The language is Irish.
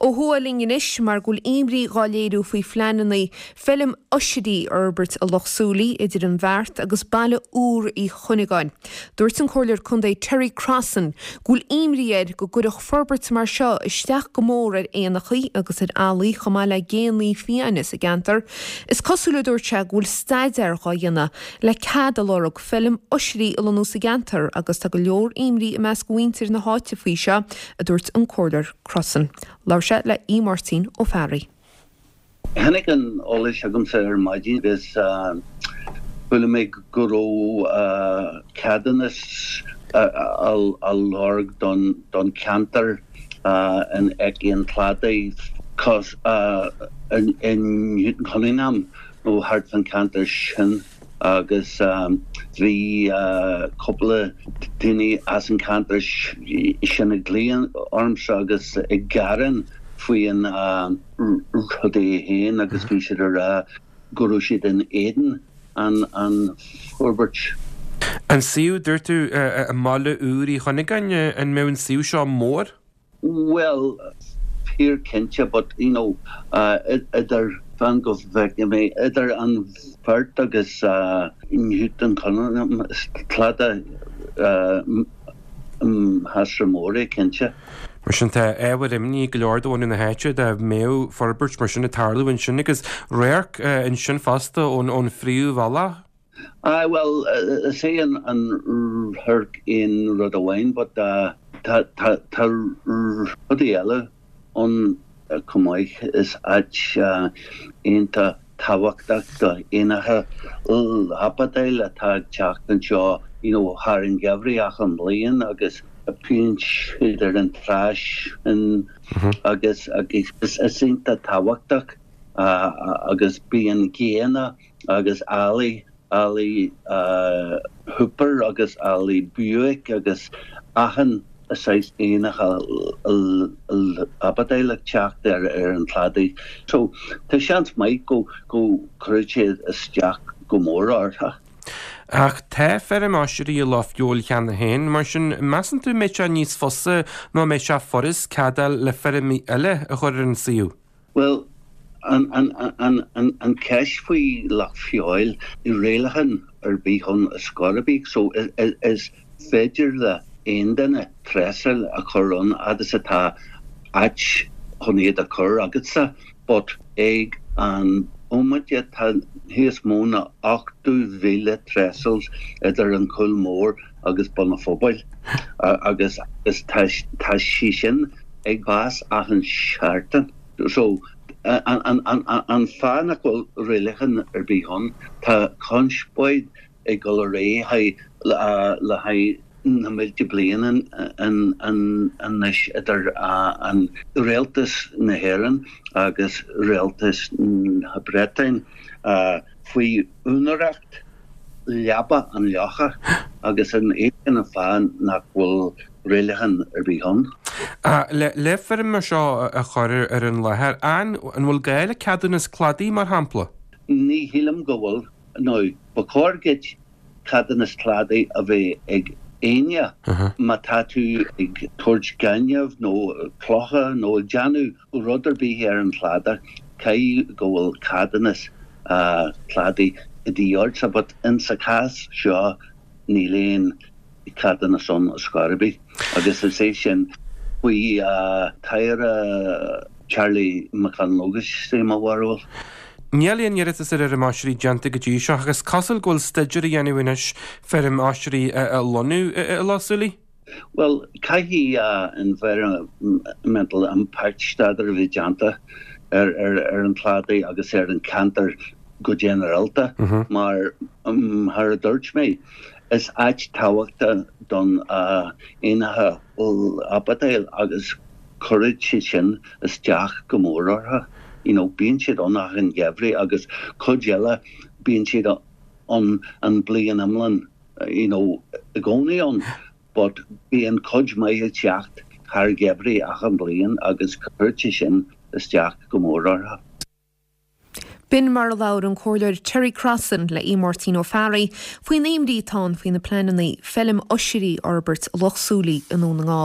Ó thuaidh linn anois mar go bhfuil imní dhá léiriú faoi phleananna feilm oisrí a fhorbairt i Loch Súilí idir an Bheart agus Baile Úr Uí Chuinneagáin. Dúirt an Comhairleoir Contae Terry Crossan go bhfuil imní air go gcuirfeadh forbairt mar seo isteach go mór ar éanachaí agus ar ealaí chomh maith le géanna fiáine sa gceantar. Is cosúil a dúirt sé go bhfuil staidéar dhá dhéanamh le cead a lorg feilm oisrí a lonnú sa gceantar agus tá go leor imní i measc mhuintir na háite faoi seo, a dúirt an Comhairleoir Crossan. Labhair sé le Aodh Máirtín Ó Fearraigh. Tháinig an eolas chugamsa ar maidin agus chuala mé go raibh ceadúnas á lorg don cheantar in aice an chladaigh i Newton Cunningham nó thart fán cheantar sin agus bhí cúpla daoine as an cheantar sin ag glaoch ormsa agus ag gearán faoi an rud é féin agus bhí siad ag rá go raibh siad in éadan an forbairt. An suíomh, dúirt tú, i mBaile Úr Uí Chuinneagáin, an mbeadh an suíomh seo mór? Bhuel, fíor cinnte, but you know, idir, fan go bhfeicfidh mé, idir an Bheart agus Newton Cunningham, is cladach measartha mór é, cinnte. Mar sin, tá ábhar imní ag go leor de bhunadh na háite dá mbeadh forbairt mar sin ag tarlú ansin agus radharc ansin fosta ón phríomhbhealach. Aye, bhuel, is é an radharc aon rud amháin but tá tá rudaí eile ann chomh maith. Is áit iontach tábhachtach do éanacha lapadán atá ag teacht anseo you know thar an gheimhreadh achan mbliain agus bíonn siad ar an trá sin agus agus is iontach tábhachtach agus bíonn géanna agus ealaí, ealaí hooper agus ealaí bewick agus achan saghas éanacha lapadáin ag teacht ar an chladaigh. So tá seans maith go go gcuirfidh sé isteach go mór orthu. Ach tá feirm oisrí i Loch Feabhail cheana féin, mar sin measann tú an mbeidh sé níos fusa nó an mbeidh sé furast cead a fháil le feirm eile a chur ar an suíomh? Bhuel, an cheist faoi Loch Feabhail, níl rialachán ar bith ann ar scor ar bith, so is féidir le aon duine trestle a chur ann fhad is atá áit chun iad a chur agatsa, but ag an bhomaite tá níos mó ná 80,000 trestles idir an Cúl Mór agus Bun an Phobail agus tá sí sin ag fás achan seachtain. So, an fáth nach bhfuil rialachán ar bith ann, tá conspóid ag dul ar aghaidh le haghaidh na mílte bliain anois idir an Rialtas na hÉireann agus Rialtas na Breataine faoi úinéireacht leaba an locha agus an é sin an fáth nach bhfuil rialachán ar bith ann. Le feirm mar seo a chur ar an láthair, an bhfuil gá le ceadúnas cladaigh, mar shampla? Ní shílim go bhfuil. Now, ba chóir duit ceadúnas cladaigh a bheith ag éinne má tá tú ag tabhairt gaineamh nó clocha nó ag déanamh rud ar bith ar an chladach, caithfidh go bhfuil ceadúnas cladaigh de dhíth ortsa but in sa chás seo níl aon cheadúnas ann ar scor ar bith agus is é sin faoi tAire Charlie McConalogue is é mo bharúil. Níl aon iarratas ar fheirm oisrí déanta go dtí seo ach is cosúil go bhfuil staidéar á dhéanamh anois feirm oisrí a lonnú i Loch Súilí. Bhuel, caithfidh environmental impact staidéar a bheith déanta ar an chladaigh agus ar an cheantar go ginearálta mar, mar a dúirt mé, is áit tábhachtach don éanacha lapadáin agus cuirfidh sé sin isteach go mór orthu. You know, bíonn siad ann achan gheimhreadh agus cuid eile bíonn siad ann an bliain iomlán. you know, i gcónaí ann but bíonn cuid maith ag teacht thar gheimhridh achan bliain agus cuireann sé sin isteach go mór orthu. B'in mar a labhair an Comhairleoir Terry Crossan le Aodh Máirtín Ó Fearraigh faoin imní atá ann faoi na pleananna feilm oisrí a fhorbairt i Loch Súilí i nDún na nGall.